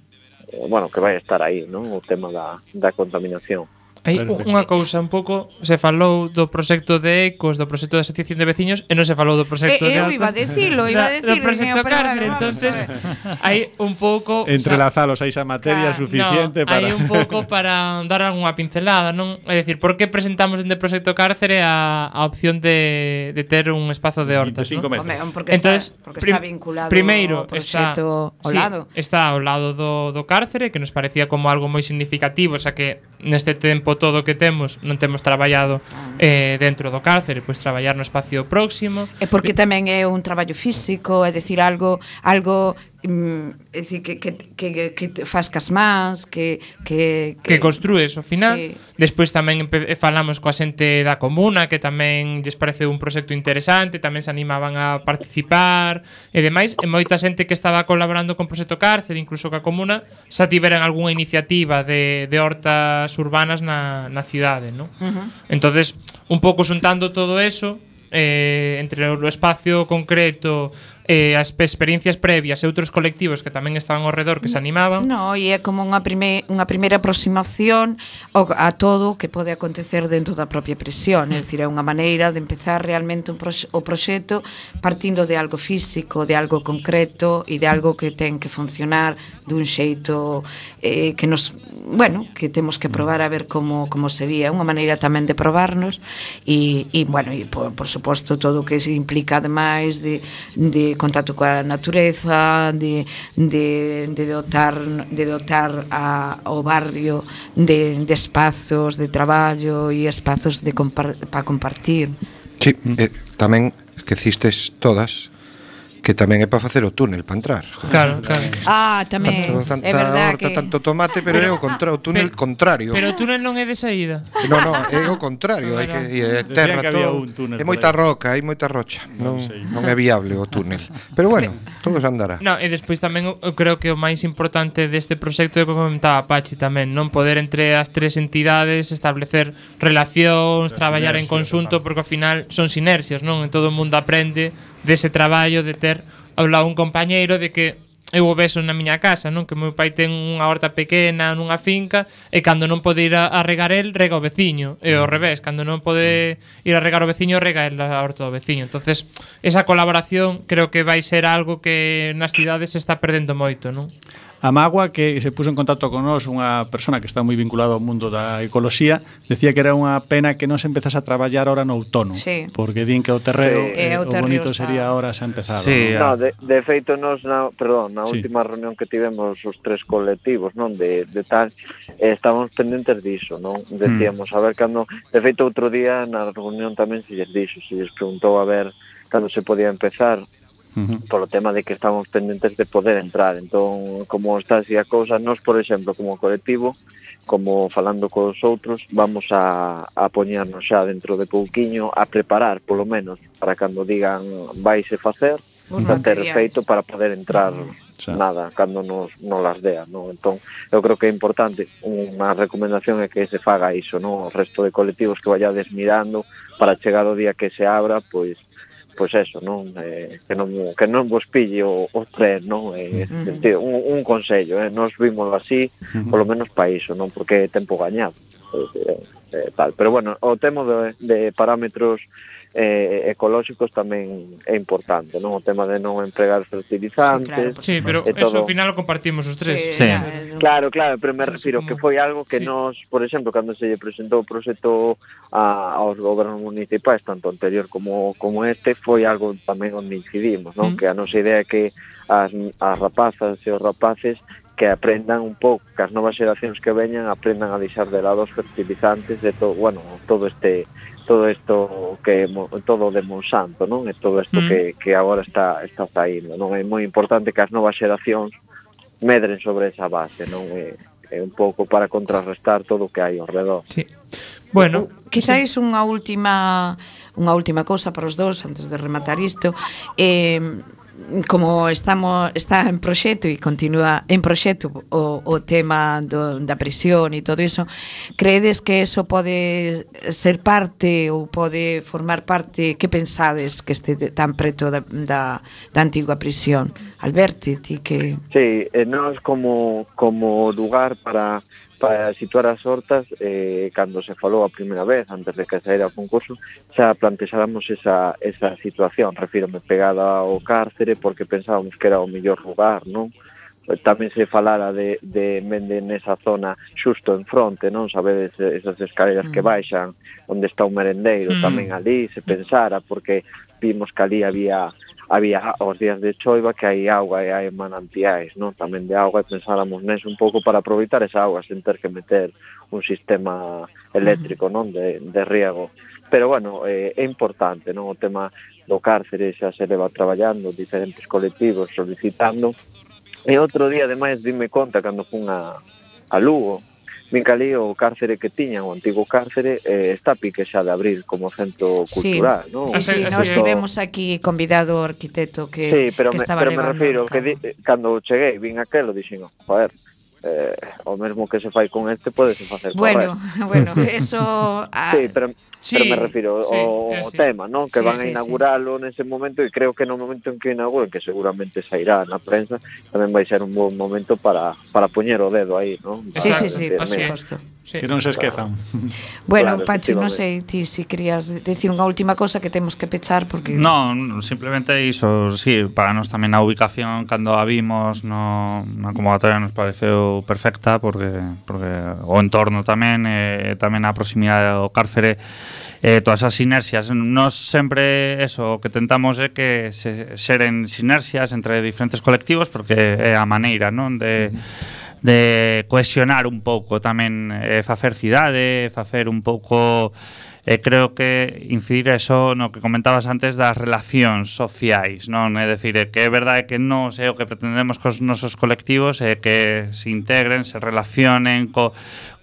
bueno, que vai a estar aí, non? O tema da, da contaminación. Hai unha cousa un pouco, se falou do proxecto de Ecos, do proxecto da Asociación de Veciños e non se falou do proxecto Eh, de eu Altas. iba a decilo, iba a Da- decilo, do proxecto señor, pero Cárcere, vamos, entonces vamos hai un pouco, Entrelazalos a esa materia Claro, suficiente no, para... hai un pouco para dar algunha pincelada, non? É dicir, por que presentamos dende Proxecto Cárcere a, a opción de, de ter un espazo de hortas, veinticinco non? metros. Home, porque Entonces, está, porque prim- está vinculado primeiro ao proxecto ao sí, lado. está ao lado do, do cárcere, que nos parecía como algo moi significativo, xa que neste tempo todo que temos non temos traballado eh, dentro do cárcere, pois traballar no espacio próximo. É porque tamén é un traballo físico, é dicir, algo algo mm, é dicir, que, que, que, que te faz cas mans, que, que, que construes ao final. Sí. Despois tamén empe- falamos coa xente da comuna, que tamén lles parece un proxecto interesante, tamén se animaban a participar e demais, e moita xente que estaba colaborando con Proxecto Cárcere, incluso coa comuna, xa tiveran algunha iniciativa de, de hortas urbanas na, na cidade, non? Uh-huh. Entonces, un pouco xuntando todo eso, eh, entre o espacio concreto e as pe- experiencias previas e outros colectivos que tamén estaban ao redor que se animaban. No, e é como unha, prime, unha primeira aproximación ao, a todo o que pode acontecer dentro da propia prisión, é dicir, é unha maneira de empezar realmente un proxe, o proxecto partindo de algo físico, de algo concreto e de algo que ten que funcionar dun xeito eh, que nos, bueno, que temos que probar a ver como, como sería, unha maneira tamén de probarnos e, e bueno, e por, por suposto todo o que se implica ademais de, de contacto coa natureza, de, de, de dotar de dotar a, ao barrio de, de espazos de traballo e espazos de compar, para compartir. Sí, eh, tamén esquecistes todas que tamén é para facer o túnel para entrar. Claro, claro. Ah, tamén, Tanto, tanta é verdad horta, que tanto tomate, pero é o, contra, o túnel Pero- contrario. Pero o túnel non é de saída. No, no, é o contrario, hai que e é Decían terra que había todo. un túnel É por moita aí. roca, hai moita rocha. Non Non, sei. non é viable o túnel. Pero bueno, todo se andará. No, e despois tamén eu creo que o máis importante deste proxecto é o que comentaba Pachi tamén, non poder entre as tres entidades establecer relacións, As traballar en sinerxias, conxunto, total. porque ao final son sinerxias, non? E todo o mundo aprende dese traballo de ter ao lado un compañeiro de que eu o beso na miña casa, non? Que meu pai ten unha horta pequena nunha finca e cando non pode ir a, a regar el, rega o veciño. E ao revés, cando non pode ir a regar o veciño, rega el a horta do veciño. Entonces, esa colaboración creo que vai ser algo que nas cidades se está perdendo moito, non? A mágoa que se puso en contacto con nós unha persona que está moi vinculada ao mundo da ecoloxía, decía que era unha pena que non se empezase a traballar ahora no outono, Sí. porque din que o terreo, Sí. eh, E o o terreo bonito está- sería ahora xa empezado. Sí, ¿no? No, de, de feito nos na, perdón, na Sí. última reunión que tivemos os tres colectivos, non, de, de tal, eh, estábamos pendentes diso, non? Decíamos, a ver cando, de feito outro día na reunión tamén se lles dixo, se lles preguntou a ver cando se podía empezar, Uh-huh. polo tema de que estamos pendentes de poder entrar. Entón, como está así a cousa, nós, por exemplo, como colectivo, como falando cos outros, vamos a, a poñernos xa dentro de pouquiño a preparar, polo menos, para cando digan vaise facer, Os para ter materiais. feito para poder entrar Xa. nada, cando nos, nos las dea, non? Entón, eu creo que é importante, unha recomendación é que se faga iso, non? O resto de colectivos que vayades mirando para chegar o día que se abra, pois pois eso, non, eh, que non que non vos pille o, o tren, non, eh, Uh-huh. sentido, un, un consello, eh, nos vimos así, Uh-huh. polo menos para iso, non, porque é tempo gañado, eh, eh, tal, pero bueno, o tema de, de parámetros eh, ecolóxicos tamén é importante, non, o tema de non empregar fertilizantes, Sí, pero e eso todo. ao final o compartimos os tres. Sí. Claro, claro, pero me Eso refiro como- que foi algo que Sí. nos, por exemplo, cando se lle presentou o proxecto a, aos gobernos municipais, tanto anterior como como este, foi algo tamén onde incidimos, non? Mm. Que a nosa idea é que as, as rapazas e os rapaces que aprendan un pouco, que as novas xeracións que veñan aprendan a deixar de lado os fertilizantes de todo, bueno, todo este todo isto que mo- todo de Monsanto, non? E todo isto Mm. que que agora está está saindo, non? É moi importante que as novas xeracións medren sobre esa base, non? É, é un pouco para contrarrestar todo o que hai ao redor. Sí. Bueno, Quizáis unha última unha última cousa para os dous antes de rematar isto. Eh, como estamos está en proxecto e continúa en proxecto o, o tema do, da prisión e todo iso, credes que eso pode ser parte ou pode formar parte, que pensades que este tan preto da, da, da antigua prisión? Alberti, ti que... Sí, e nós como como lugar para para situar as hortas, eh, cando se falou a primeira vez, antes de que saíra o concurso, xa plantexáramos esa, esa situación, refírome pegada ao cárcere, porque pensábamos que era o mellor lugar, non? Tamén se falara de, de mende nesa zona xusto en fronte, non? Sabedes esas escaleras que baixan, onde está o merendeiro, Mm. tamén ali se pensara, porque vimos que ali había había os días de choiva que hai auga e hai manantiais, non? Tamén de auga, e pensáramos neso un pouco para aproveitar esa auga sen ter que meter un sistema eléctrico, non? De, de riego. Pero bueno, eh, é importante, non? O tema do cárcere xa se leva traballando, diferentes colectivos solicitando. E outro día, ademais, dime conta cando fun a, a Lugo, vin que ali o cárcere que tiñan, o antigo cárcere, eh, está a pique xa de abrir como centro Sí, cultural, non? sí, sí, Así- nós así- tivemos aquí convidado o arquitecto que, Sí, pero que me, estaba pero me levando refiro a que cabo. di, cando cheguei, vin aquelo, dixen, joder, eh, o mesmo que se fai con este pode se facer con Bueno, resto. bueno, eso... ah, Sí, pero, Sí, pero me refiro sí, ao é así. tema, non? Que Sí, van sí, a inauguralo nese momento, e creo que no momento en que inauguren, que seguramente sairá na prensa, tamén vai ser un bon momento para, para poñer o dedo aí, non? Sí, Para sí, sí, decir, por así é. mira, suposto. Sí. Que non se esquezan. Bueno, Claro, Pachi, non efectivamente. sei ti se si querías decir unha última cosa que temos que pechar porque No, simplemente iso, sí, para nos tamén a ubicación cando a vimos no, na convocatoria nos pareceu perfecta porque porque o entorno tamén e tamén a proximidade ao cárcere eh, todas as sinerxias. Nos sempre eso, o que tentamos é que se xeren sinerxias entre diferentes colectivos porque é a maneira, non, de de cohesionar un pouco tamén, eh, facer cidade, facer un pouco eh, creo que incidir eso no que comentabas antes das relacións sociais, non? É dicir, é que é verdade que non é o que pretendemos cos nosos colectivos, é que se integren, se relacionen co,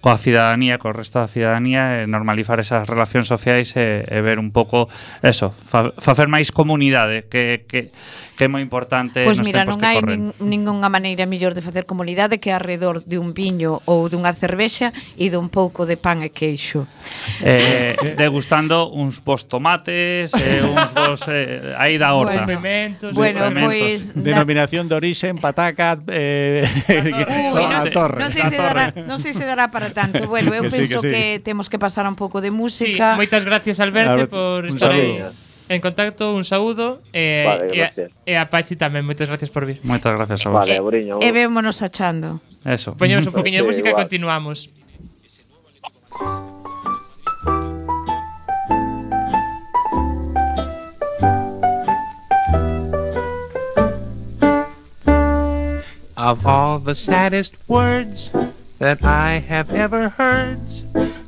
coa cidadanía, co resto da cidadanía, e normalizar esas relacións sociais e, e ver un pouco eso, fa, facer máis comunidade, que, que, que é moi importante Pois nos mira, tempos non que hai corren. nin, ningunha maneira mellor de facer comunidade que arredor de un viño ou dunha cervexa e dun pouco de pan e queixo. Eh, degustando uns bons tomates, eh, uns bons eh, aí da horta. Bueno. Mementos, Bueno, Complementos. pois na- Denominación de origen, pataca, eh, Ui, a non, torre. non sei se dará, non sei se dará para tanto. Bueno, eu Que sí, penso que sí. que temos que pasar un pouco de Sí, música. moitas gracias Alberto A ver, por un estar aí. saludo. en contacto, un saúdo e, Vale, e, a- gracias. e a Pachi tamén, moitas gracias por vir. Moitas gracias a vos. Vale, Auriño. E vémonos achando. Eso. Poñemos un poquinho de Sí, música e igual. continuamos. Of all the saddest words that I have ever heard,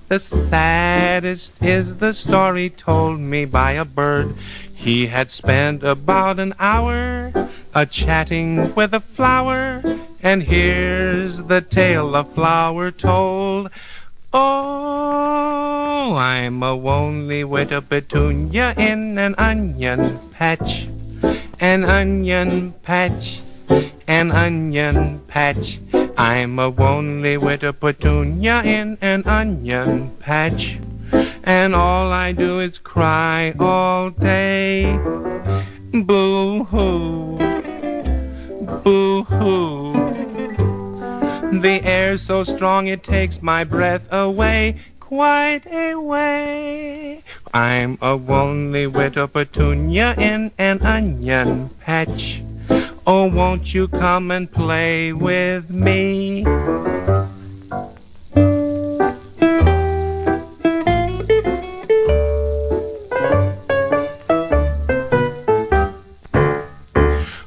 the saddest is the story told me by a bird. He had spent about an hour a-chatting with a flower, and here's the tale the flower told. Oh, I'm a lonely widow petunia in an onion patch, an onion patch, an onion patch. I'm a lonely widow petunia in an onion patch, and all I do is cry all day. Boo-hoo, boo-hoo. The air's so strong it takes my breath away, quite away. I'm a lonely widow petunia in an onion patch. Oh, won't you come and play with me?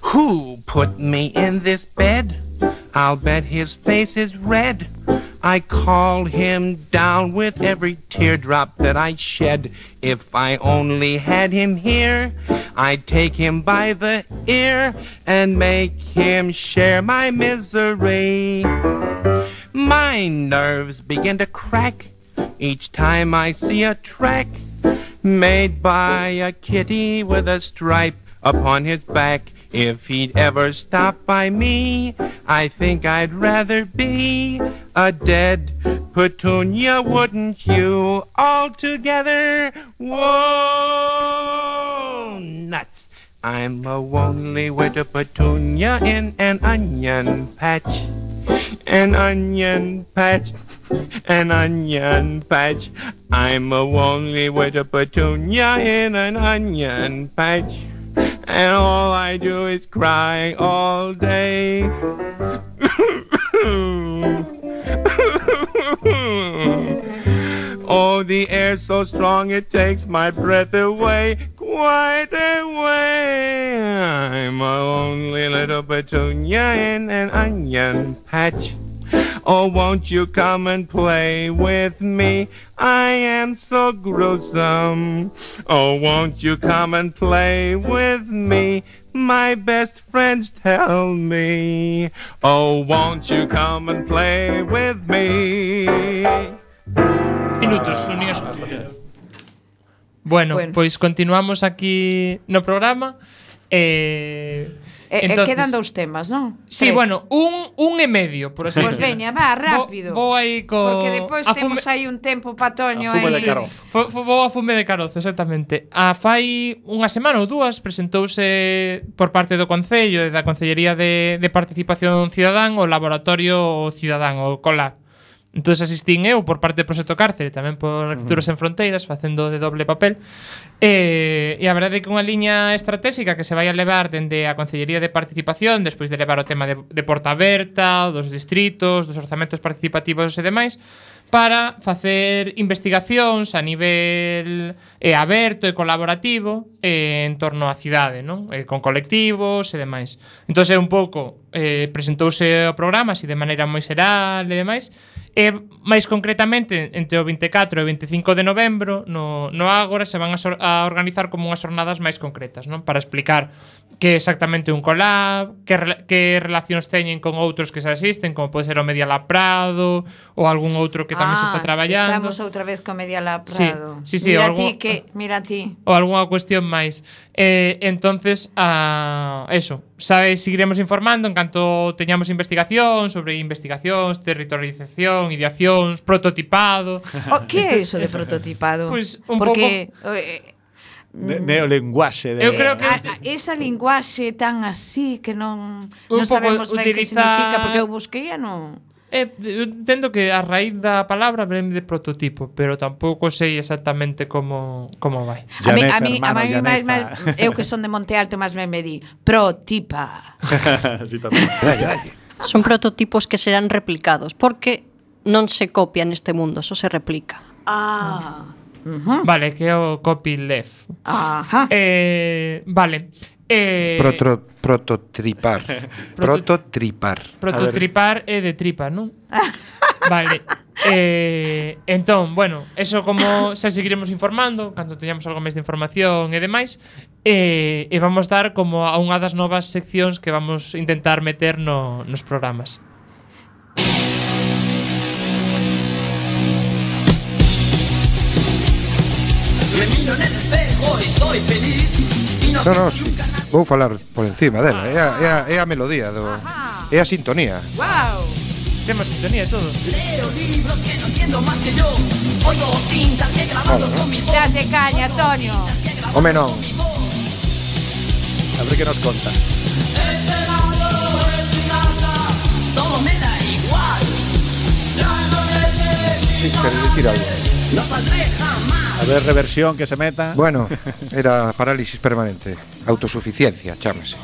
Who put me in this bed? I'll bet his face is red. I call him down with every teardrop that I shed. If I only had him here, I'd take him by the ear and make him share my misery. My nerves begin to crack each time I see a track made by a kitty with a stripe upon his back. If he'd ever stop by me, I think I'd rather be a dead petunia, wouldn't you? Altogether, whoa, nuts. I'm a lonely widow petunia in an onion patch, an onion patch, an onion patch. I'm a lonely widow petunia in an onion patch, and all I do is cry all day. Oh, the air's so strong it takes my breath away, quite away. I'm a lonely little petunia in an onion patch. Oh, won't you come and play with me? I am so gruesome. Oh, won't you come and play with me? My best friends tell me. Oh, won't you come and play with me? Minutos, unidos. Bueno, Bueno. pois continuamos aquí no programa. Eh, E, e entonces- quedan dous temas, non? Sí, Tres. bueno, un, un e medio, por así Pois decirlo. veña, va, rápido. Vou, vou aí co... Porque depois a temos fume- aí un tempo pa Toño A fume aí. de carozo. Fo- fo- Vou a fume de carozo, exactamente. A fai unha semana ou dúas presentouse por parte do Concello e da Concellería de, de Participación Cidadán o Laboratorio Cidadán, o COLAC. Entón asistín eu por parte do Proxecto Cárcere, tamén por Arquitecturas en Fronteiras, facendo de doble papel. E, e a verdade é que unha liña estratégica que se vai a levar dende a Concellería de Participación, despois de levar o tema de, de Porta Aberta, dos distritos, dos orzamentos participativos e demais, para facer investigacións a nivel eh, aberto e colaborativo eh, en torno á cidade, non? Eh, con colectivos e demais. Entón é un pouco eh, presentouse o programa así de maneira moi xeral e demais. E máis concretamente entre o vinte e catro e o vinte e cinco de novembro no, no Ágora se van a, sor, a organizar como unhas jornadas máis concretas, non? Para explicar que exactamente un collab, que, rela- que relacións teñen con outros que se asisten, como pode ser o Media Lab Prado ou algún outro que tamén se está traballando. Estamos outra vez co Media Lab Sí, Prado. sí, sí, mira algo- ti que, mira ti. ou algunha cuestión máis. Eh, entonces, a eso, sabe, seguiremos informando en canto teñamos investigación sobre investigacións, territorialización, ideacións, prototipado. O, que é iso de prototipado? Pois, un Porque eh, Ne neolenguaxe de... Eu creo que- a, a, esa linguaxe tan así que non Un non pouco sabemos ben que utilizar- significa, porque eu busquei e non Eh, eu entendo que a raíz da palabra vem de prototipo, pero tampouco sei exactamente como como vai. A mí, a mí, a mí máis, máis, eu que son de Monte Alto, máis me me di protipa. Sí, tamén. Son prototipos que serán replicados, porque non se copia neste mundo, só se replica. Ah. Uh-huh. Vale, que é o copyleft. Ajá. Eh, vale. Eh, Protro, prototripar. Prototripar. Prototripar é de tripa, non? Vale. Eh, entón, bueno, eso como xa seguiremos informando cando teñamos algo máis de información e demais. Eh, e vamos dar como a unha das novas seccións que vamos intentar meter no, nos programas. Me miro en el espejo y soy feliz. No, no, sí. Vou falar por encima dela. É a, é a, é a melodía do, é a sintonía. Wow. Temos sintonía e todo. Leo libros que no entiendo más que yo. Oigo tintas que grabando Bueno, con mi voz. Date caña, Antonio. Home, non. A ver que nos conta. Encerrado en mi casa, todo me da igual. Ya no Sí, necesito quere dicir algo. no saldré jamás. A ver, reversión que se meta. Bueno, era parálisis permanente. Autosuficiencia, chámase.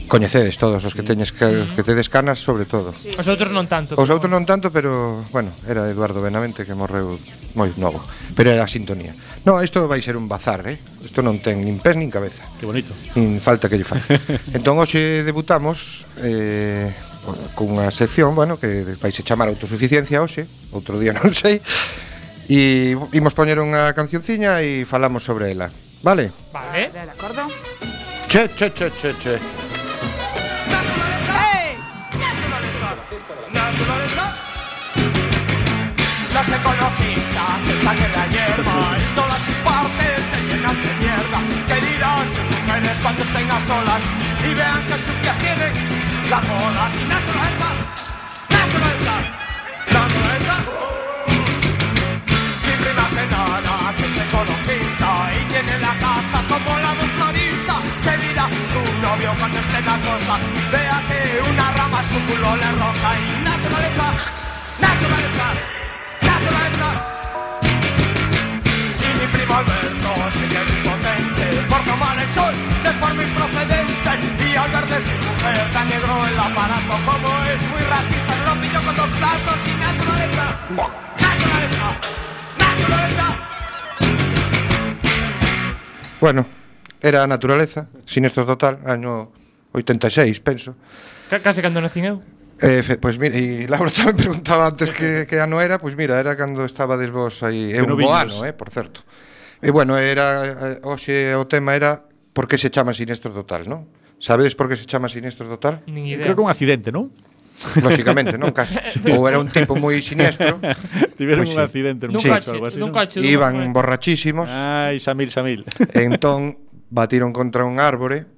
Coñecedes todos os que teñes que, os que tedes canas, sobre todo. Sí. Os outros non tanto. Os outros non tanto, pero, bueno, era Eduardo Benavente que morreu moi novo. Pero era a sintonía. No, isto vai ser un bazar, eh? Isto non ten nin pés nin cabeza. Que bonito. Nin falta que lle fai. Entón, hoxe debutamos eh, cunha sección, bueno, que vai se chamar autosuficiencia hoxe. Outro día non sei. E imos poñer unha cancionciña e falamos sobre ela. Vale? Vale. De acordo? Che, che, che, che, che. Hey. Los ecologistas están en la hierba y todas sus partes se llenan de mierda. ¿Qué dirán sus mujeres cuando estén a solas y vean que sucias tienen las bolas? Y naturaleza, naturaleza, naturaleza. Mi prima Genara, que es ecologista y tiene la casa como la motorista. ¿Qué dirá su novio cuando esté la cosa? Vea que una rama su culo le roja. Y naturaleza, naturaleza, naturaleza. Y mi primo Alberto sigue impotente por tomar el sol de forma improcedente. Y al ver de su mujer tan negro el aparato, como es muy racista, lo pillo con dos platos. Y naturaleza, naturaleza, naturaleza. Bueno, era a naturaleza, Sinestro Total, año oitenta e seis, penso. C case cando nacín eu. Eh, fe, pois mira, e Laura tamén preguntaba antes que, que ano era, pois mira, era cando estabades vos aí, é un bo ano, eh, por certo. E bueno, era, hoxe o tema era por que se chama Sinestro Total, non? Sabedes por que se chama Sinestro Total? Nin idea. Creo que un accidente, non? Lóxicamente, non, casi. Ou era un tipo moi siniestro. Tiveron Pois un sí. accidente Nun sí. coche, algo así, nun non? coche. Iban borrachísimos. Ai, Samil, Samil. E entón batiron contra un árbore.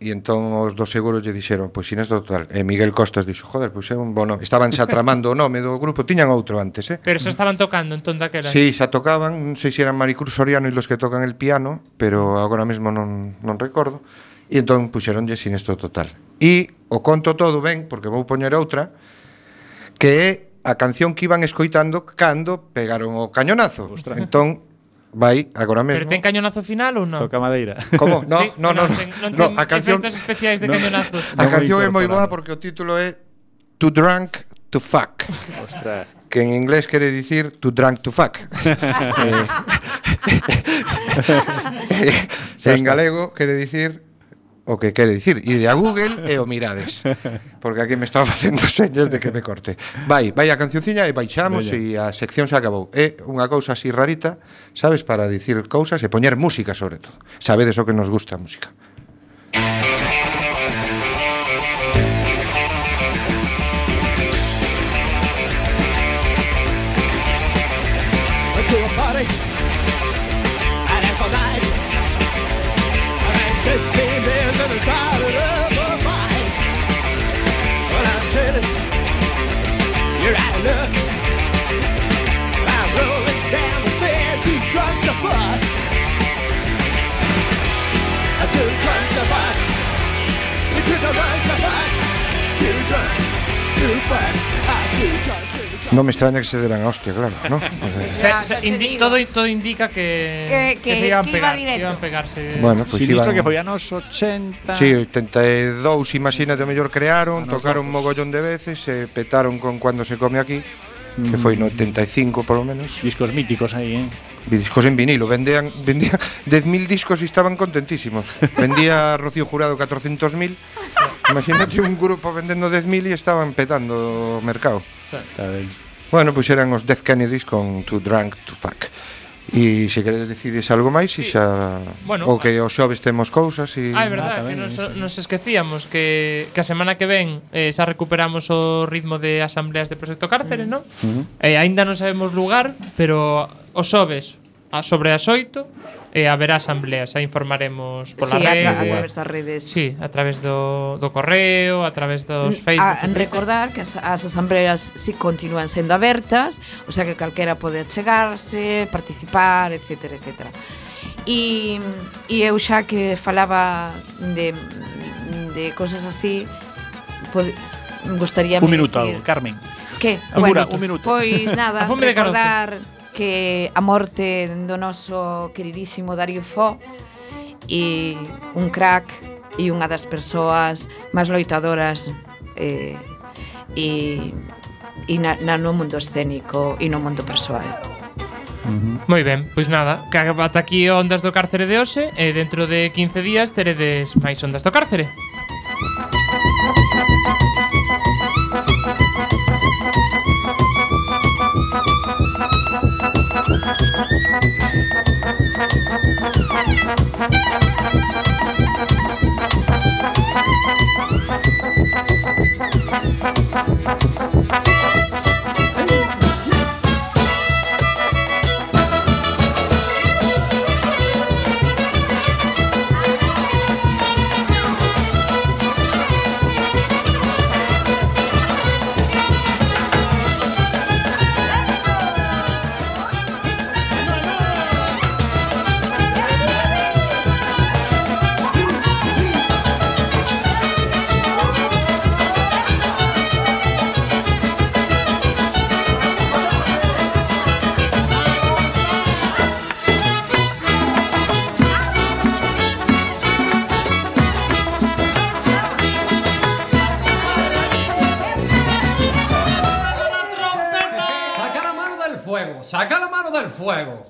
E entón os do seguro lle dixeron, pois Sinestro Total. E Miguel Costas dixo, joder, pois é un bono. Estaban xa tramando o nome do grupo, tiñan outro antes, eh? Pero se estaban tocando entón daquela. Sí, xa tocaban, non sei se eran Maricruz Soriano e los que tocan el piano, pero agora mesmo non, non recordo. E entón puxeronlle Sinestro Total. E o conto todo ben, porque vou poñer outra, que é a canción que iban escoitando cando pegaron o cañonazo. Ostras. Entón, vai agora mesmo. Pero ten cañonazo final ou non? Toca madeira. Como? No, Sí, no, no, no, ten, non no, ten a canción efectos especiais de No. cañonazo. A Non canción moi é moi boa incorporado. porque o título é Too Drunk to Fuck. Ostras. Que en inglés quere dicir Too Drunk to Fuck. eh, eh, en galego quere dicir o que quere dicir. Ir a Google e o mirades. Porque aquí me estaba facendo señas de que me corte. Vai, vai a cancionciña e baixamos e a sección se acabou. É unha cousa así rarita, sabes, para dicir cousas e poñer música sobre todo. Sabedes o que nos gusta a música. Went to a party, and it's all night. And then sixteen beers and decided of a fight. Well, I'm chilling, you're out of luck. I'm rolling down the stairs, too drunk to fuck. I'm too drunk to fuck. You're too drunk to fuck. Too drunk to fuck. I Non me extraña que se deran a hostia, claro, ¿no? Se, se indi todo, todo indica que, Que- que- se iban que pegar, iba que directo. iban pegarse. Bueno, pues Sinistro iban- que foi anos ochenta. Sí, oitenta e dous, imagínate, mellor crearon, tocaron un mogollón de veces, se petaron con Cuando se come aquí, que foi no oitenta e cinco polo menos. Discos míticos aí, eh. Discos en vinilo, vendían vendían dez mil discos e estaban contentísimos. Vendía Rocío Jurado catrocentos mil. Imagínate un grupo vendendo dez mil e estaban petando o mercado. Está ben. Bueno, pois eran os Death Kennedys con Too Drunk to Fuck. E se queredes decides algo máis, Sí. e xa Bueno, ou que os xoves temos cousas e Ah, é verdade, que nos, nos esquecíamos que, que a semana que ven eh, xa recuperamos o ritmo de asambleas de Proxecto Cárcere, non? Uh-huh. Eh, aínda non sabemos lugar, pero os xoves a sobre as oito eh, haberá asambleas, xa informaremos pola Sí, a, rede. tra a través das redes. Sí, a través do, do correo, a través dos Facebook. A, recordar que as, as asambleas sí continúan sendo abertas, o sea que calquera pode achegarse, participar, etcétera, etcétera. E, e eu xa que falaba de, de cosas así, pod, gustaría Un minuto, decir, Carmen. Que? Un Bueno, minuto, un minuto. Pois nada, A fome de carozo. recordar que a morte do noso queridísimo Dario Fo e un crack e unha das persoas máis loitadoras eh, e, e na, na, no mundo escénico e no mundo persoal. Moi ben, pois nada, que ata aquí Ondas do Cárcere de hoxe e dentro de quince días teredes máis Ondas do Cárcere. Saca la mano del fuego, saca la mano del fuego.